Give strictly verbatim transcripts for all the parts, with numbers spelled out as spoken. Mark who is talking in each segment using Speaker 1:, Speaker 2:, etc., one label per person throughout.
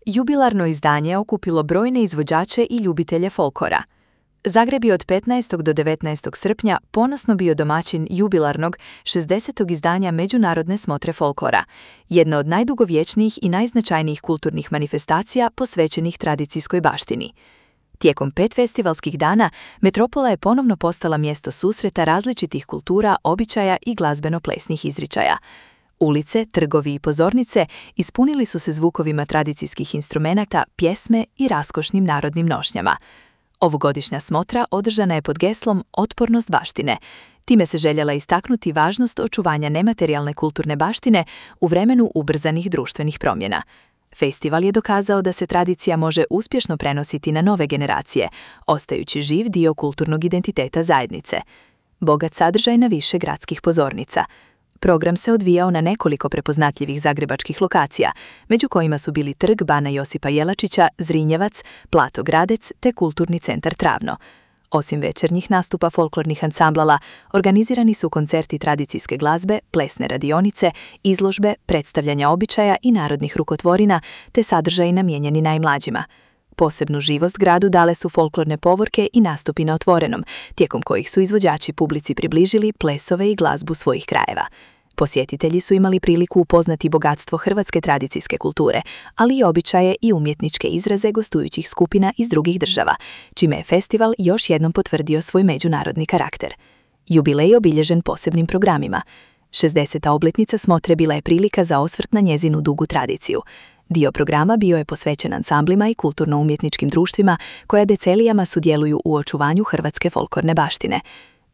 Speaker 1: jubilarno izdanje okupilo brojne izvođače i ljubitelje folklora. Zagreb je od petnaestog do devetnaestog srpnja ponosno bio domaćin jubilarnog šezdesetog izdanja Međunarodne smotre folklora, jedna od najdugovječnijih i najznačajnijih kulturnih manifestacija posvećenih tradicijskoj baštini. Tijekom pet festivalskih dana, metropola je ponovno postala mjesto susreta različitih kultura, običaja i glazbeno-plesnih izričaja. Ulice, trgovi i pozornice ispunili su se zvukovima tradicijskih instrumenata, pjesme i raskošnim narodnim nošnjama. Ovogodišnja smotra održana je pod geslom Otpornost baštine. Time se željela istaknuti važnost očuvanja nematerijalne kulturne baštine u vremenu ubrzanih društvenih promjena. Festival je dokazao da se tradicija može uspješno prenositi na nove generacije, ostajući živ dio kulturnog identiteta zajednice. Bogat sadržaj na više gradskih pozornica. Program se odvijao na nekoliko prepoznatljivih zagrebačkih lokacija, među kojima su bili Trg Bana Josipa Jelačića, Zrinjevac, Plato Gradec te Kulturni centar Travno. Osim večernjih nastupa folklornih ansamblala, organizirani su koncerti tradicijske glazbe, plesne radionice, izložbe, predstavljanja običaja i narodnih rukotvorina, te sadržaji namijenjeni najmlađima. Posebnu živost gradu dale su folklorne povorke i nastupi na otvorenom, tijekom kojih su izvođači publici približili plesove i glazbu svojih krajeva. Posjetitelji su imali priliku upoznati bogatstvo hrvatske tradicijske kulture, ali i običaje i umjetničke izraze gostujućih skupina iz drugih država, čime je festival još jednom potvrdio svoj međunarodni karakter. Jubilej je obilježen posebnim programima. šezdeseta obljetnica smotre bila je prilika za osvrt na njezinu dugu tradiciju. Dio programa bio je posvećen ansamblima i kulturno-umjetničkim društvima koja decelijama sudjeluju u očuvanju hrvatske folklorne baštine.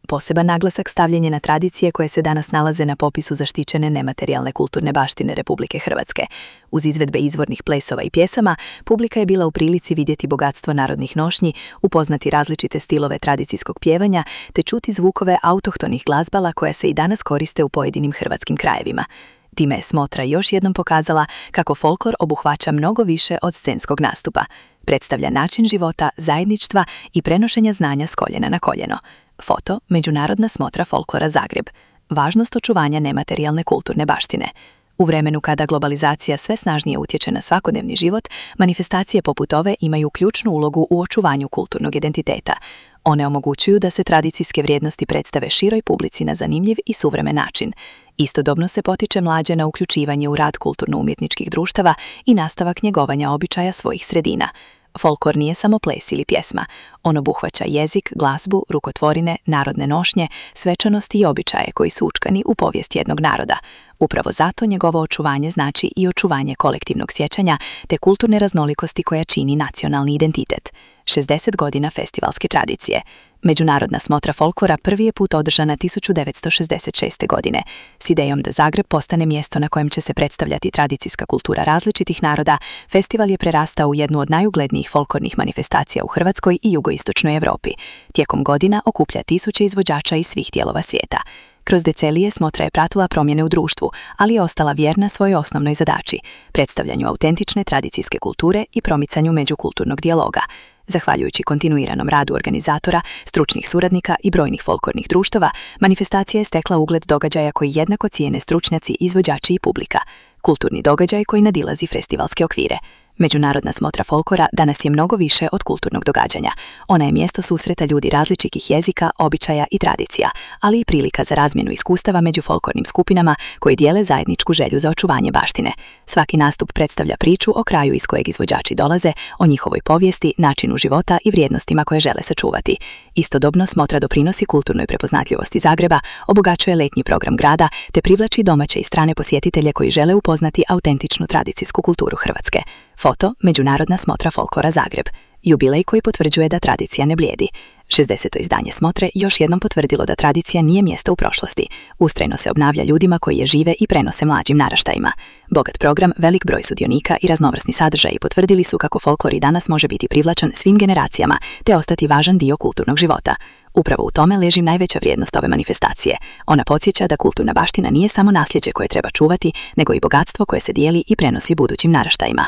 Speaker 1: Poseban naglasak stavljen je na tradicije koje se danas nalaze na popisu zaštićene nematerijalne kulturne baštine Republike Hrvatske. Uz izvedbe izvornih plesova i pjesama, publika je bila u prilici vidjeti bogatstvo narodnih nošnji, upoznati različite stilove tradicijskog pjevanja, te čuti zvukove autohtonih glazbala koja se i danas koriste u pojedinim hrvatskim krajevima. Time je smotra još jednom pokazala kako folklor obuhvaća mnogo više od scenskog nastupa. Predstavlja način života, zajedništva i prenošenja znanja s koljena na koljeno. Foto Međunarodna smotra folklora Zagreb. Važnost očuvanja nematerijalne kulturne baštine. U vremenu kada globalizacija sve snažnije utječe na svakodnevni život, manifestacije poput ove imaju ključnu ulogu u očuvanju kulturnog identiteta. One omogućuju da se tradicijske vrijednosti predstave široj publici na zanimljiv i suvremen način. Istodobno se potiče mlađe na uključivanje u rad kulturno-umjetničkih društava i nastavak njegovanja običaja svojih sredina. Folklor nije samo ples ili pjesma. On obuhvaća jezik, glazbu, rukotvorine, narodne nošnje, svečanosti i običaje koji su učkani u povijest jednog naroda. Upravo zato njegovo očuvanje znači i očuvanje kolektivnog sjećanja te kulturne raznolikosti koja čini nacionalni identitet. šezdeset godina festivalske tradicije. Međunarodna smotra folklora prvi je put održana tisuću devetsto šezdeset šeste. godine. S idejom da Zagreb postane mjesto na kojem će se predstavljati tradicijska kultura različitih naroda, festival je prerastao u jednu od najuglednijih folklornih manifestacija u Hrvatskoj i jugoistočnoj Europi. Tijekom godina okuplja tisuće izvođača iz svih dijelova svijeta. Kroz decenije smotra je pratila promjene u društvu, ali je ostala vjerna svojoj osnovnoj zadaći, predstavljanju autentične tradicijske kulture i promicanju međukulturnog dijaloga. Zahvaljujući kontinuiranom radu organizatora, stručnih suradnika i brojnih folklornih društava, manifestacija je stekla ugled događaja koji jednako cijene stručnjaci, izvođači i publika. Kulturni događaj koji nadilazi festivalske okvire. Međunarodna smotra folklora danas je mnogo više od kulturnog događanja. Ona je mjesto susreta ljudi različitih jezika, običaja i tradicija, ali i prilika za razmjenu iskustava među folklornim skupinama koji dijele zajedničku želju za očuvanje baštine. Svaki nastup predstavlja priču o kraju iz kojeg izvođači dolaze, o njihovoj povijesti, načinu života i vrijednostima koje žele sačuvati. Istodobno smotra doprinosi kulturnoj prepoznatljivosti Zagreba, obogaćuje letnji program grada te privlači domaće i strane posjetitelje koji žele upoznati autentičnu tradicijsku kulturu Hrvatske. Foto Međunarodna smotra folklora Zagreb. Jubilej koji potvrđuje da tradicija ne blijedi. šezdeseto izdanje smotre još jednom potvrdilo da tradicija nije mjesto u prošlosti. Ustrajno se obnavlja ljudima koji je žive i prenose mlađim naraštajima. Bogat program, velik broj sudionika i raznovrsni sadržaji potvrdili su kako folklor i danas može biti privlačan svim generacijama te ostati važan dio kulturnog života. Upravo u tome leži najveća vrijednost ove manifestacije. Ona podsjeća da kulturna baština nije samo nasljeđe koje treba čuvati, nego i bogatstvo koje se dijeli i prenosi budućim naraštajima.